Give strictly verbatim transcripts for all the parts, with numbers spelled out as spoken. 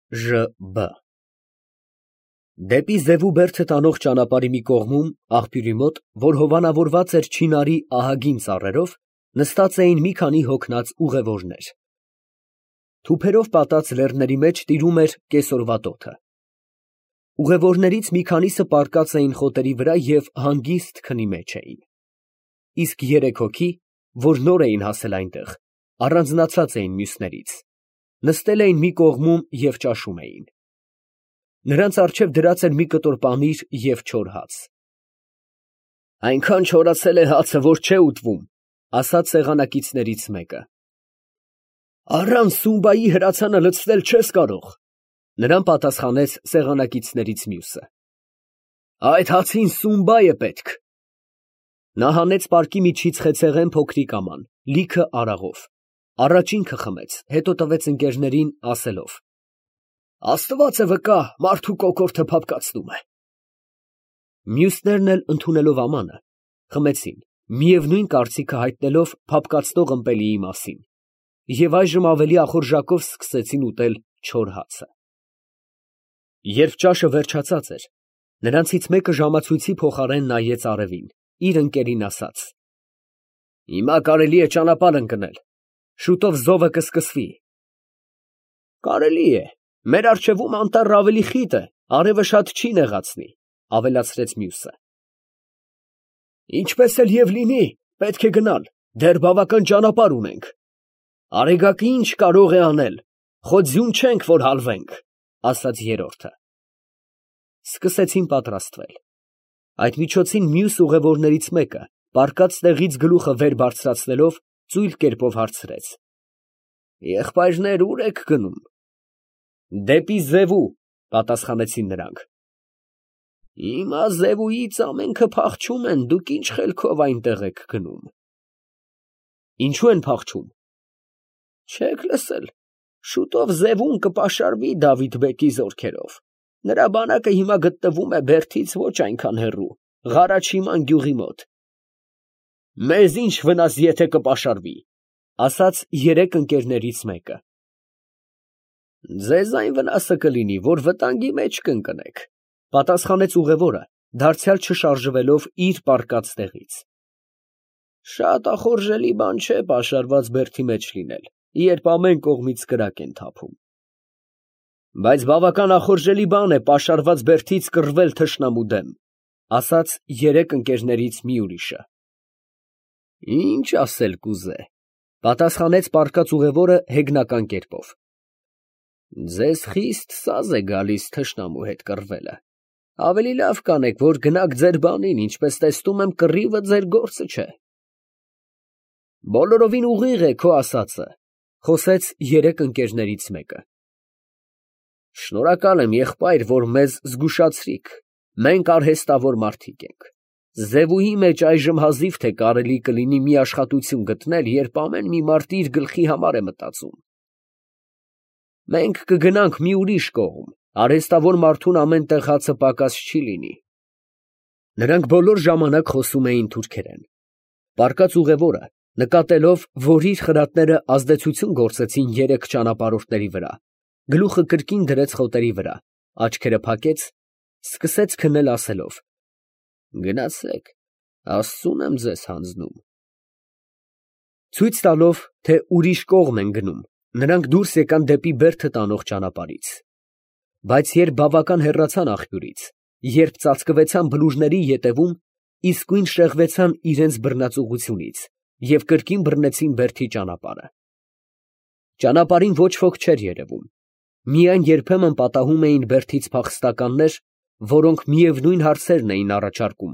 Ժ B Դեպի Զևու բերդը տանող ճանապարհի մի կողմում, աղբյուրի մոտ, որ հովանավորված էր չինարի ահագին ծառերով, նստած էին մի քանի հոգնած ուղևորներ։ Թուփերով պատած լեռների մեջ տիրում էր կեսօրվա տոթը։ Ուղևորներից մի քանիսը պառկած էին խոտերի վրա և հանգիստ քնի մեջ էին։ Իսկ երեք հոգի, որ նոր էին հասել այնտեղ, առանձնացած էին մյուսներից, նստել էին մի կողմում և ճաշում էին։ Նրանց առջև դրած էր մի կտոր պանիր և չոր հաց։ «Այնքան չորացել է հացը, որ չէ ուտվում», ֊ ասաց սեղանակիցներից մեկը։ «Առանց Սումբայի հրացանը լցնել չես կարող», ֊ նրան պատասխանեց սեղանակիցներից մյուսը։ «Այդ հացին Սումբա է պետք»։ Նա հանեց պարկի միջից խեցեղեն փոքրիկ աման, լիքը արաղով, առաջ ինքը խմեց, հետո տվեց ընկերներին, ասելով. «Աստված է վկա, մարդու կոկորդը փափկացնում է»։ Մյուսներն էլ ընդունելով ամանը, խմեցին, միևնույն կարծիքը հայտնելով փափկացնող ըմպելիի մասին, և այժմ ավելի ախորժակով սկսեցին ուտել չոր հացը։ Երբ ճաշը վերջացած էր, նրանցից մեկը ժամացույցի փոխարեն նայեց արևին, իր ընկերին ասաց. «Հիմա կարելի է ճանապարհ ընկնել, շուտով զովը կսկսվի»։ «Կարելի է, մեր առջևում անտառը ավելի խիտ է, արևը շատ չի նեղացնի», ֊ ավելացրեց մյուսը։ «Ինչպես էլ և լինի, պետք է գնալ, դեռ բավական ճանապարհ ունենք։ Արեգակը ի՞նչ կարող է անել, խո ձյուն չենք, որ հալվենք», ֊ ասաց երրորդը։ Սկսեցին պատրաստվել։ Այդ միջոցին մյուս ուղևորներից մեկը, պառկած տեղից գլուխը վեր բարձրացնելով, ծույլ կերպով հարցրեց. «Եղբայրներ, ո՞ւր եք գնում»։ «Դեպի Զևու», ֊ պատասխանեցին նրանք։ «Հիմա Զևուից ամենքը փախչում են, դուք ի՞նչ խելքով այնտեղ եք գնում»։ «Ինչո՞ւ են փախչում»։ «Չեք լսել, շուտով Զևուն կպաշարվի Դավիթ֊բեկի զորքերով, նրա բանակը հիմա գտնվում է Բերդից ոչ այնքան հեռու, Ղարաչիման գյուղի մոտ»։ «Մեզ ի՞նչ վնաս, եթե կպաշարվի», ֊ ասաց երեք ընկերներից մեկը։ «Ձեզ այն վնասը կլինի, որ վտանգի մեջ կընկնեք», ֊ պատասխանեց ուղևորը, դարձյալ չշարժվելով իր պառկած տեղից։ «Շատ ախորժելի բան չէ պաշարված բերդի մեջ լինել, երբ ամեն կողմից կրակ են թափում»։ «Բայց բավական ախորժելի բան է պաշարված բերդից կռվել թշնամու դեմ», ֊ ասաց երեք ընկերներից մի ուրիշը։ «Ինչ ասել կուզե», ֊ պատասխանեց պառկած ուղևորը հեգնական կերպով։ «Ձեզ խիստ սազ է գալիս թշնամու հետ կռվելը, ավելի լավ կանեք, որ գնաք ձեր բանին, ինչպես տեսնում եմ, կռիվը ձեր գործը չէ»։ «Բոլորովին ուղիղ է քո ասածը», ֊ խոսեց երեք ընկերներից մեկը։ «Շնորհակալ եմ, եղբայր, որ մեզ զգուշացրիք, մենք արհեստավոր մարդիկ ենք։ Զևուի մեջ այժմ հազիվ թե կարելի կլինի մի աշխատություն գտնել, երբ ամեն մի մարդ իր գլխի համար է մտածում։ Մենք կգնանք մի ուրիշ կողմ, արհեստավոր մարդուն ամեն տեղ հացը պակաս չի լինի»։ Նրանք բոլոր ժամանակ խոսում էին թուրքերեն։ Պառկած ուղևորը, նկատելով, որ իր խրատները ազդեցություն գործեցին երեք ճանապարհորդների վրա, գլուխը կրկին դրեց խոտերի վրա, աչքերը փակեց, սկսեց քնել ասելով. «Գնացեք, Աստծուն եմ ձեզ հանձնում»։ Ցույց տալով, թե ուրիշ կողմ են գնում, նրանք դուրս եկան դեպի բերդը տանող ճանապարհից։ Բայց երբ բավական հեռացան աղբյուրից, երբ ծածկվեցան բլուրների ետևում, իսկույն շեղվեցան իրենց բռնածուղությունից և կրկին բռնեցին բերդի ճանապարհը։ Ճանապարհին ոչ ոք չէր երևում, միայն երբեմն պատահում էին բերդից փախստականներ, որոնք միևնույն հարցերն էին առաջարկում.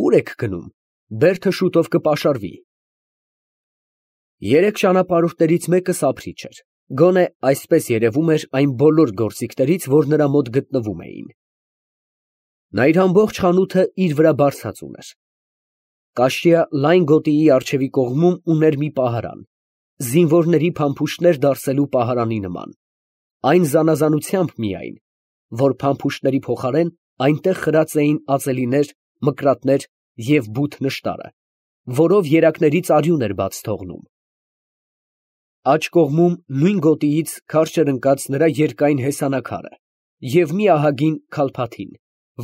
«Ո՞ւր եք գնում, բերդը շուտով կպաշարվի»։ Երեք ճանապարհորդներից մեկը սափրիչ էր, գոնե այսպես երևում էր այն բոլոր գործիքներից, որ նրա մոտ գտնվում էին։ Նա իր ամբողջ խանութը իր վրա բարձած ուներ։ Կաշյա լայն գոտիի առջևի կողմում ուներ մի պահարան, զինվորների փամփուշտներ դարսելու պահարանի նման, այն զանազանությամբ միայն, որ փամփուշտների փոխարեն այնտեղ խրած էին ածելիներ, մկրատներ և բութ նշտարը, որով երակներից արյուն էր բաց թողնում։ աջ կողմում նույն գոտիից քարշ էր ընկած նրա երկայն հեսանաքարը և մի ահագին քալփաթին,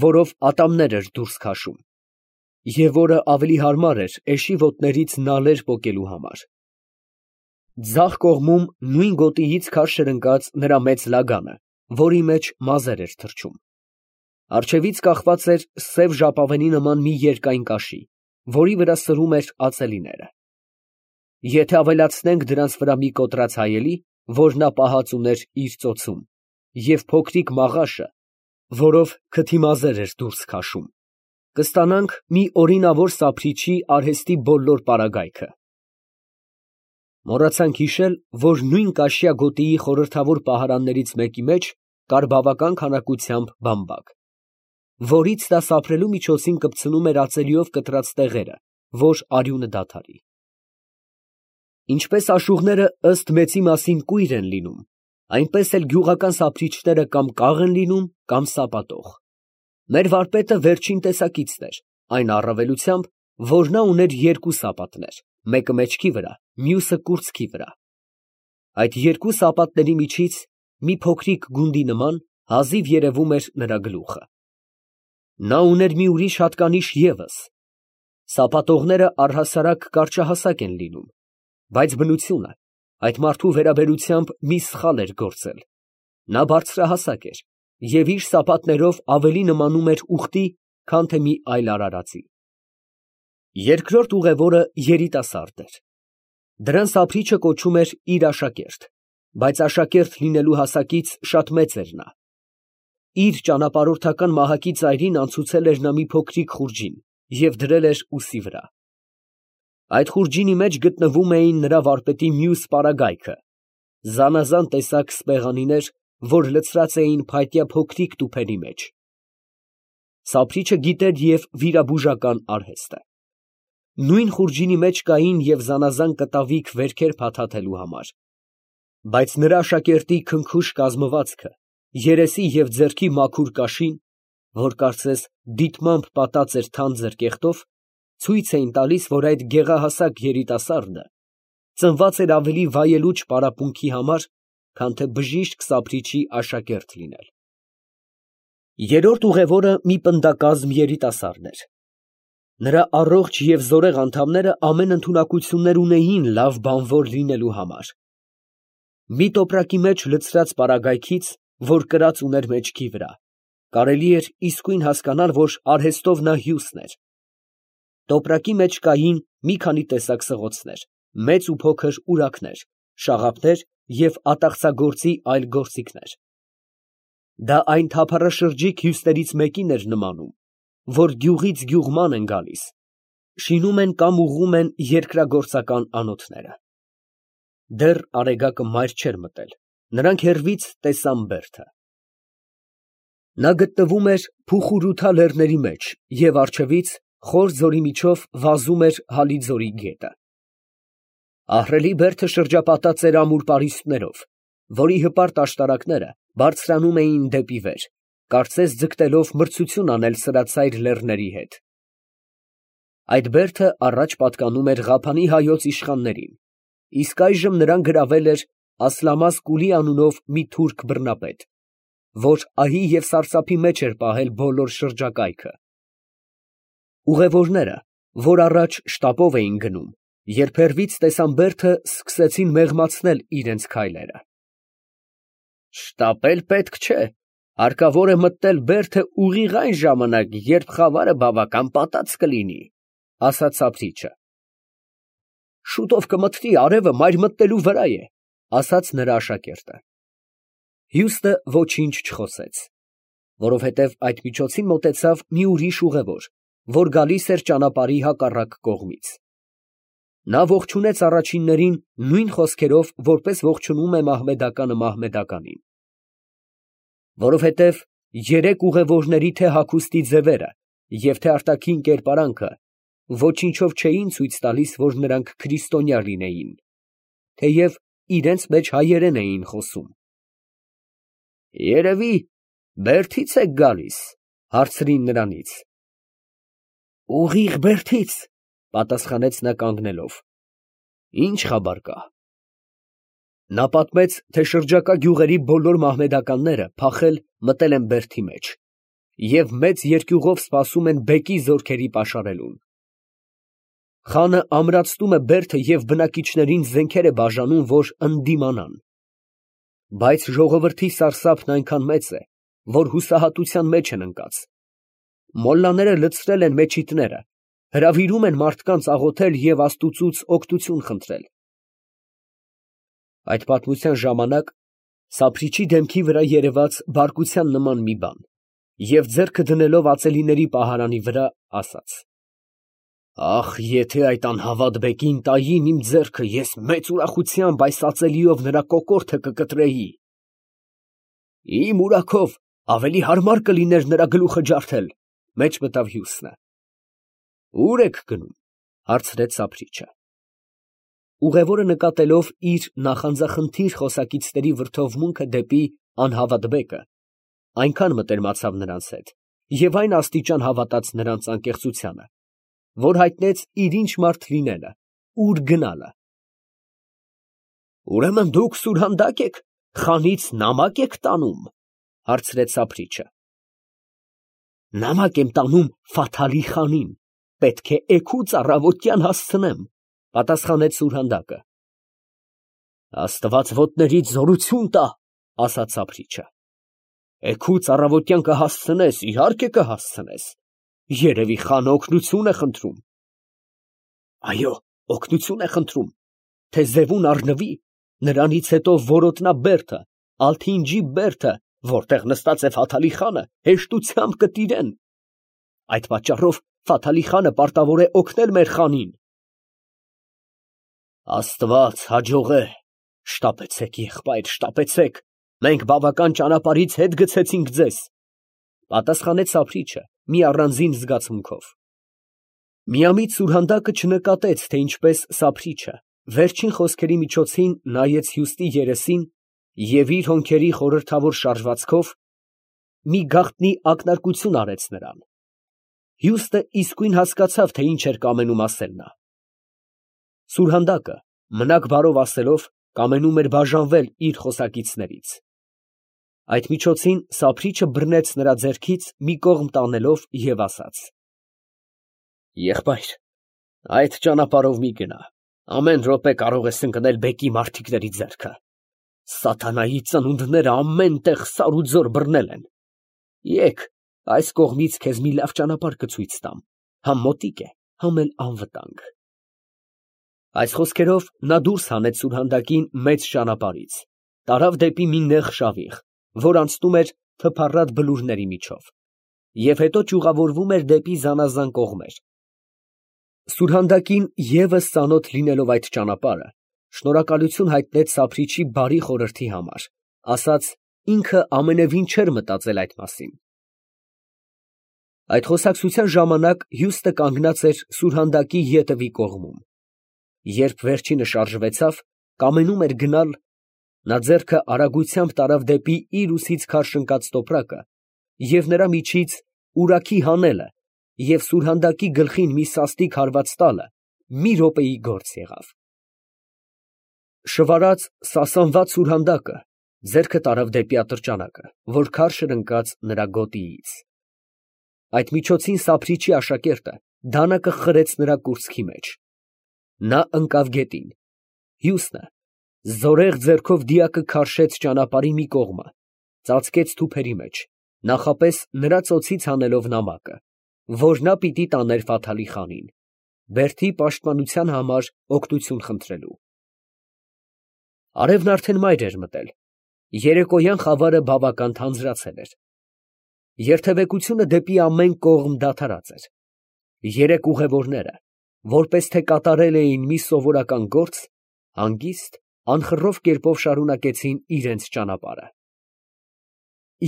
որով ատամներ էր դուրս քաշում, և որը ավելի հարմար էր էշի ոտներից նալեր պոկելու համար. ձախ կողմում նույն գոտիից քարշ էր ընկած նրա մեծ լագանը, որի մեջ մազեր էր թռչում. առջևից կախված էր սև ժապավենի նման մի երկայն կաշի, որի վրա սրում էր ածելիները. եթե ավելացնենք դրանց վրա մի կոտրած հայելի, որ նա պահած ուներ իր ծոցում, և փոքրիկ մաղաշը, որով քթի մազեր էր դուրս քաշում, կստանանք մի օրինավոր սափրիչի արհեստի բոլոր պարագայքը։ Մոռացանք հիշել, որ նույն կաշյա գոտիի խորհրդավոր պահարաններից մեկի մեջ կար բավական քանակությամբ բամբակ, որից նա սափրելու միջոցին կպցնում էր ածելիով կտրած տեղերը, որ արյունը դադարի։ Ինչպես աշուղները ըստ մեծի մասին կույր են լինում, այնպես էլ գյուղական սափրիչները կամ կաղ են լինում, կամ սապատող։ Մեր վարպետը վերջին տեսակիցն էր, այն առավելությամբ, որ նա ուներ երկու սապատներ, մեկը մեջքի վրա, մյուսը կուրծքի վրա։ Այդ երկու սապատների միջից մի փոքրիկ գունդի նման հազիվ երևում էր նրա գլուխը։ Նա ուներ մի ուրիշ հատկանիշ ևս. սապատողները առհասարակ կարճահասակ են լինում, բայց բնությունը այդ մարդու վերաբերությամբ մի սխալ էր գործել. նա բարձրահասակ էր և իր սապատներով ավելի նմանում էր ուղտի, քան թե մի այլ արարածի։ Երկրորդ ուղևորը երիտասարդ էր. դրան սափրիչը կոչում էր իր աշակերտ, բայց աշակերտ լինելու հասակից շատ մեծ էր նա։ Իր ճանապարհորդական մահակի ծայրին անցուցել էր նա մի փոքրիկ խուրջին և դրել էր ուսի վրա։ Այդ խուրջինի մեջ գտնվում էին նրա վարպետի մյուս պարագայքը, զանազան տեսակ սպեղանիներ, որ լցրած էին փայտյա փոքրիկ տուփերի մեջ։ Սափրիչը գիտեր և վիրաբուժական արհեստը։ Նույն խուրջինի մեջ կային և զանազան կտավիկ վերքեր փաթաթելու համար, բայց նրա աշակերտի քնքուշ կազմվածքը, երեսի և ձեռքի մաքուր կաշին, որ կարծես դիտմամբ պատած էր թանձր կեղտով, ցույց էին տալիս, որ այդ գեղահասակ երիտասարդը ծնված էր ավելի վայելուչ պարապմունքի համար, քան թե բժիշկ սափրիչի աշակերտ լինել։ Երրորդ ուղևորը մի պնդակազմ երիտասարդ էր։ Նրա առողջ և զորեղ անդամները ամեն ընդունակություններ ունեին լավ բանվոր լինելու համար։ Մի տոպրակի մեջ լցրած պարագայքից, որ կրած ուներ մեջքի վրա, կարելի էր իսկույն հասկանալ, որ արհեստով նա հյուսն էր։ Տոպրակի մեջ կային մի քանի տեսակ սղոցներ, մեծ ու փոքր ունաքներ, շաղափներ և ատաղծագործի այլ գործիքներ։ Դա այն թափառաշրջիկ հյուսներից մեկին էր նմանում, որ գյուղից գյուղ ման են գալիս, շինում են կամ ուղղում են երկրագործական անոթները։ Դեռ արեգակը մայր չէր մտել, նրանք հեռվից տեսան բերդը։ Նա գտնվում էր Փուխուրութա լեռների մեջ և առջևից խոր ձորի միջով վազում էր Հալի ձորի գետը։ Ահռելի բերդը շրջապատած էր ամուր պարիսպներով, որի հպարտ աշտարակները բարձրանում էին դեպի վեր, կարծես ձգտելով մրցություն անել սրածայր լեռների հետ։ Այդ բերդը առաջ պատկանում էր Ղափանի հայոց իշխաններին, իսկ այժմ նրան գրավել էր Ասլամազ Կուլի անունով մի թուրք բռնապետ, որ ահի և սարսափի մեջ էր պահել բոլոր շրջակայքը։ Ուղևորները, որ առաջ շտապով էին գնում, երբ հեռվից տեսան բերդը, սկսեցին մեղմացնել իրենց քայլերը։ «Շտապել պետք չէ, հարկավոր է մտնել բերդը ուղիղ այն ժամանակ, երբ խավարը բավական պատած կլինի», ֊ ասաց սափրիչը։ «Շուտով կմթնի, արևը մայր մտնելու վրա է», ֊ ասաց նրա աշակերտը։ Հյուսը ոչինչ չխոսեց, որովհետև այդ միջոցին մոտեցավ մի ուրիշ ուղևոր, որ գալիս էր ճանապարհի հակառակ կողմից։ Նա ողջունեց առաջիններին նույն խոսքերով, որպես ողջունում է մահմեդականը մահմեդականին։ Որովհետև երեք ուղևորների թե հագուստի ձևերը և թե արտաքին կերպարանքը ոչինչով չէին ցույց տալիս, որ նրանք քրիստոնյա լինեին, թեև իրենց մեջ հայերեն էին խոսում։ «Երևի Բերդից եք գալիս, ֊ հարցրին նրանից։ ֊ Ուղիղ Բերդից, ֊ պատասխանեց նա կանգնելով։ ֊ Ի՞նչ խաբար կա։ ֊ Նա պատմեց, թե շրջակա գյուղերի բոլոր մահմեդականները փախել մտել են բերդի մեջ և մեծ երկյուղով սպասում են բեկի զորքերի պաշարելուն։ Խանը ամրացնում է բերդը և բնակիչներին զենքեր է բաժանում, որ ընդդիմանան։ Բայց ժողովրդի սարսափն այնքան մեծ է, որ հուսահատության մեջ են ընկած։ Մոլլաները լցրել են մեչիտները, հրավիրում են մարդկանց աղոթել և Աստուծուց օգնություն խնդրել։ Այդ պատմության ժամանակ Սափրիչի դեմքի վրա երևաց բարկության նման մի բան, և ձեռքը դնելով ածելիների պահարանի վրա, ասաց. «Ախ, եթե այդ անհավատ բեկին տային իմ ձեռքը, ես մեծ ուրախությամբ այս ածելիով նրա կոկորդը կկտրեի»։ «Իմ ուրախով ավելի հարմար կլիներ նրա գլուխը ջարդել», ֊ մեջ մտավ Հյուսնը։ «Ո՞ւր եք գնում» ֊ հարցրեց Սափրիչը։ Ուղևորը նկատելով իր նախանձախնդիր խոսակիցների վրդովմունքը դեպի անհավատ բեկը, այնքան մտերմացավ նրանց հետ և այն աստիճան հավատաց նրանց անկեղծությանը, որ հայտնեց իր ինչ մարդ լինելը, ուր գնալը։ «Ուրեմն դուք սուրհանդակ եք, խանից նամակ եք տանում, ֊ հարցրեց Սափրիչը։ ֊ Նամակ եմ տանում Ֆաթալի խանին, պետք է էգուց առավոտյան հասցնեմ, ֊ պատասխանեց սուրհանդակը։ ֊ Աստված ոտներիդ զորություն տա, ֊ ասաց Սափրիչը։ ֊ Էգուց առավոտյան կհասցնես, իհարկե կհասցնես, երևի խանը օգնություն է խնդրում։ ֊ Այո, օգնություն է խնդրում, թե ձևուն առնվի, նրանից հետո որոտնաբերդը, ալթինջի բերդը, որտեղ նստած է Ֆաթալի խանը, հեշտությամբ կտիրեն։ Այդ պատճառով Ֆաթալի խանը պարտավոր է օգնել մեր խանին։ Աստված հաջողե, շտապեցեք, եղբայր, շտապեցեք, մենք բավական ճանապարհից հետ գցեցինք ձեզ, ֊ պատասխանեց Սափրիչը մի առանձին զգացմունքով։ Միամիտ սուրհանդակը չնկատեց, թե ինչպես Սափրիչը վերջին խոսքերի միջոցին նայեց Հյուստի երեսին և իր հոնքերի խորհրդավոր շարժվածքով մի գաղտնի ակնարկություն արեց նրան։ Հյուստը իսկույն հասկացավ, թե ինչ էր կամենում ասել նա։ Սուրհանդակը, մնաք բարով ասելով, կամենում էր բաժանվել իր խոսակիցներից։ Այդ միջոցին Սափրիչը բռնեց նրա ձեռքից մի կողմ տանելով և ասաց. «Եղբայր, այդ ճանապարհով մի գնա, ամեն րոպե կարող ես ընկնել բեկի մարդիկների ձեռքը։ Սատանայի ծնունդները ամեն տեղ սարուձոր բռնել են։ Եկ, այս կողմից քեզ մի լավ ճանապարհ կցույց տամ, համ մոտիկ է, համ էլ անվտանգ»։ Այս խոսքերով նա դուրս հանեց սուրհանդակին մեծ ճանապարհից, տարավ դեպի մի նեղ շավիղ, որ անցնում էր թփառատ բլուրների միջով, և հետո ճյուղավորվում էր դեպի զանազան կողմեր։ Սուրհանդակին ևս ծանոթ լինելով այդ ճանապարհը, շնորհակալություն հայտնեց Սափրիչի բարի խորհրդի համար, ասաց ինքը ամենևին չէր մտածել այդ մասին։ Այդ խոսակցության ժամանակ Հյուստը կանգնած էր սուրհանդակի ետևի կողմում։ Երբ վերջինը շարժվեցավ, կամենում էր գնալ, նա ձեռքը արագությամբ տարավ դեպի իր ուսից քարշ ընկած տոպրակը և նրա միջից ուրաքի հանելը և սուրհանդակի գլխին մի սաստիկ հարված տալը մի րոպեի գործ եղավ։ Շվարած, սասանված սուրհանդակը ձեռքը տարավ դեպի ատրճանակը, որ քարշ էր ընկած նրա գոտիից։ Այդ միջոցին Սափրիչի աշակերտը դանակը խրեց նրա կուրծքի մեջ։ Նա ընկավ գետին։ Հյուսնը զորեղ ձեռքով դիակը քարշեց ճանապարհի մի կողմը, ծածկեց թուփերի մեջ, նախապես նրա ծոցից հանելով նամակը, որ նա պիտի տաներ Ֆաթալի խանին, բերդի պաշտպանության համար օգնություն խնդրելու։ Արևն արդեն մայր էր մտել, երեկոյան խավարը բավական թանձրացել էր։ Երթևեկությունը դեպի ամեն կողմ դադարած էր։ Երեք ուղևորները, որպես թե կատարել էին մի սովորական գործ, հանգիստ, անխռով կերպով շարունակեցին իրենց ճանապարհը։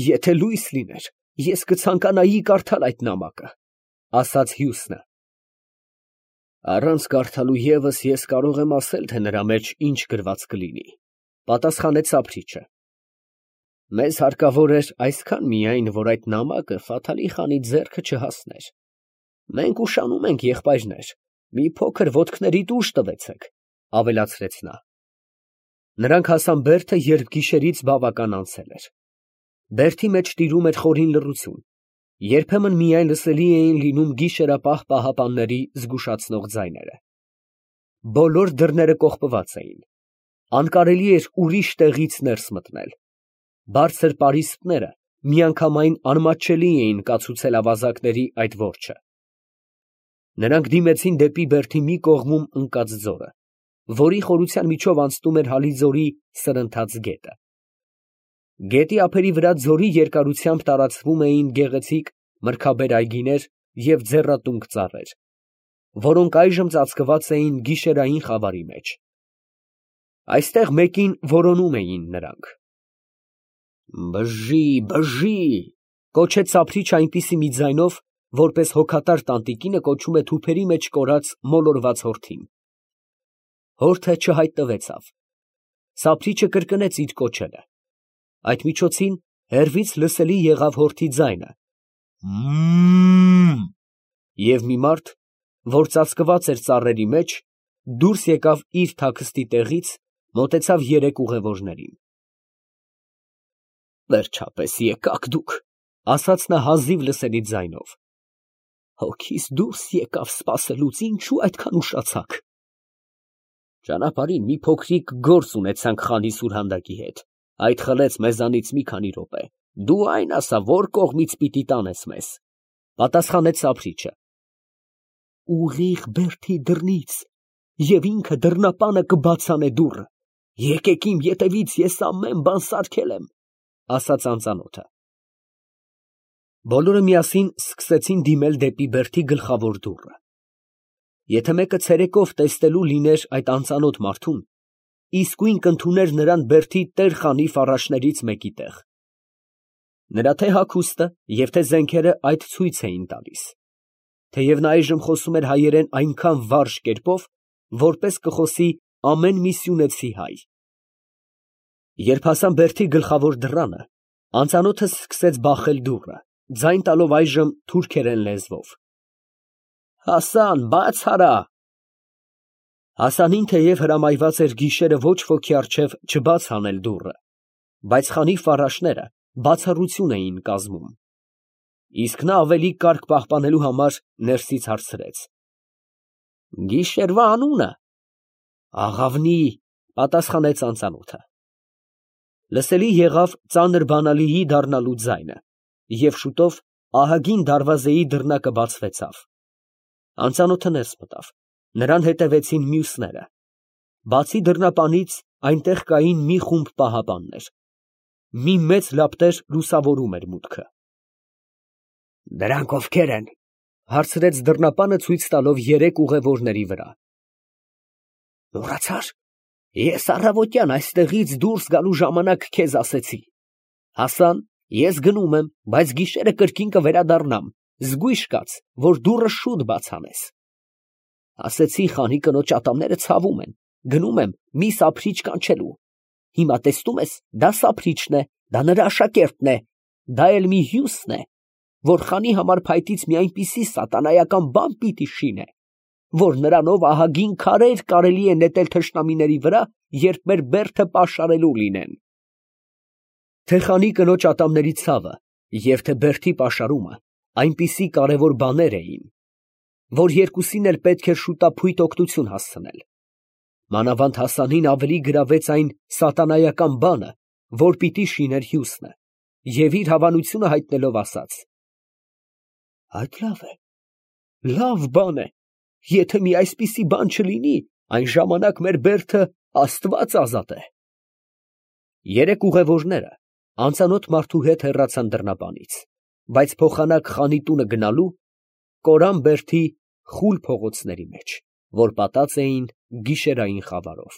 «Եթե լույս լիներ, ես կցանկանայի կարդալ այդ նամակը, ֊ ասաց Հյուսնը։ ֊ Առանց կարդալու ևս ես կարող եմ ասել, թե նրա մեջ ինչ գրված կլինի, ֊ պատասխանեց Սափրիչը։ Մեզ հարկավոր էր այսքան միայն, որ այդ նամակը Ֆաթալի խանի ձեռքը չհասներ։ Մենք ուշանում ենք, եղբայրներ, մի փոքր ոտքներիդ ուժ տվեցեք, ֊ ավելացրեց նա։ Նրանք հասան բերդը, երբ գիշերից բավական անցել էր։ Բերդի մեջ տիրում էր խորին լռություն, երբեմն միայն լսելի էին լինում գիշերապահ պահապանների զգուշացնող ձայները։ Բոլոր դռները կողպված էին, անկարելի էր ուրիշ տեղից ներս մտնել։ Բարձր պարիսպները միանգամայն անմատչելի էին կացուցել ավազակների այդ որջը։ Նրանք դիմեցին դեպի բերդի մի կողմում ընկած ձորը, որի խորության միջով անցնում էր Հալիձորի սրընթաց գետը։ Գետի ափերի վրա ձորի երկարությամբ տարածվում էին գեղեցիկ մրգաբեր այգիներ և ձեռատունկ ծառեր, որոնք այժմ ծածկված էին գիշերային խավարի մեջ։ Այստեղ մեկին որոնում էին նրանք։ «Բժի, բժի», կոչեց սափրիչը այնպիսի մի ձայնով, որպես հոգատար տանտիկինը կոչում է թուփերի մեջ կորած մոլորված հորթին։ Հորթը չհայտնվեցավ։ Սափրիչը կրկնեց իր կոչելը։ Այդ միջոցին հեռվից լսելի եղավ հորթի ձայնը. «Մմ»։ Եվ մի մարդ, որ ծածկված էր ծառերի մեջ, դուրս եկավ իր թաքստի տեղից, մոտեցավ երեք ուղևորներին։ «Վերջապես եկաք դուք», ֊ ասաց նա հազիվ լսելի ձայնով։ «Հոգիս դուրս եկավ սպասելուց, ինչո՞ւ այդքան ուշացաք»։ «Ճանապարհին մի փոքրիկ գործ ունեցանք խանի սուրհանդակի հետ, այդ խլեց մեզանից մի քանի րոպե, դու այն ասա, որ կողմից պիտի տանես մեզ», ֊ պատասխանեց սափրիչը։ «Ուղիղ բերդի դռնից, և ինքը դռնապանը կբացանե դուռը, եկեք իմ ետևից, ես ամեն բան սարքել եմ», ֊ ասաց անծանոթը։ Բոլորը միասին սկսեցին դիմել դեպի բերդի գլխավոր դուռը։ Եթե մեկը ցերեկով տեսնելու լիներ այդ անծանոթ մարդուն, իսկույն կընդուներ նրան բերդի տեր֊խանի ֆառաշներից մեկի տեղ։ Նրա թե հագուստը և թե զենքերը այդ ցույց էին տալիս, թեև նա այժմ խոսում էր հայերեն այնքան վարժ կերպով, որպես կխոսի ամեն մի սյունեցի հայ։ Երբ հասան բերդի գլխավոր դռանը, անծանոթը սկսեց բախել դուռը, ձայն տալով այժմ թուրքերեն լեզվով. «Հասան, բաց արա»։ Հասանին թեև հրամայված էր գիշերը ոչ ոքի առջև չբաց անել դուռը, բայց խանի ֆառաշները բացառություն էին կազմում։ Իսկ նա ավելի կարգ պահպանելու համար ներսից հարցրեց. «Գիշերվա անունը»։ «Աղավնի», պատասխանեց անծանոթը։ Լսելի եղավ ծանր բանալիի դառնալու ձայնը, և շուտով ահագին դարվազեի դռնակը բացվեցավ։ Անծանոթը ներս մտավ, նրան հետևեցին մյուսները։ Բացի դռնապանից այնտեղ կային մի խումբ պահապաններ։ Մի մեծ լապտեր լուսավորում էր մուտքը։ «Դրանք ովքե՞ր են», ֊ հարցրեց դռնապանը ցույց տալով երեք ուղևորների վրա։ «Մոռացա՞ր, ես առավոտյան այստեղից դուրս գալու ժամանակ քեզ ասեցի. Հասան, ես գնում եմ, բայց գիշերը կրկին կվերադառնամ, զգույշ կաց, որ դուռը շուտ բաց անես։ Ասեցի, խանի կնոջ ատամները ցավում են, գնում եմ մի սափրիչ կանչելու։ Հիմա տեսնում ես, դա սափրիչն է, դա նրա աշակերտն է, դա էլ մի հյուսն է, որ խանի համար փայտից մի այնպիսի սատանայական բան պիտի շինե, որ նրանով ահագին քարեր կարելի է նետել թշնամիների վրա, երբ մեր բերդը պաշարելու լինեն։ Թե խանի կնոջ ատամների ցավը և թե բերդի պաշարումը այնպիսի կարևոր բաներ էին, որ երկուսին էլ պետք էր շուտափույթ օգնություն հասցնել։ Մանավանդ Հասանին ավելի գրավեց այն սատանայական բանը, որ պիտի շիներ հյուսնը, և իր հավանությունը հայտնելով ասաց. «Այդ լավ է, լավ բան է, եթե մի այսպիսի բան չլինի, այն ժամանակ մեր բերդը Աստված ազատե»։ Երեք ուղևորները անծանոթ մարդու հետ հեռացան դռնապանից, բայց փոխանակ խանի տունը գնալու կորան բերդի խուլ փողոցների մեջ, որ պատած էին գիշերային խավարով։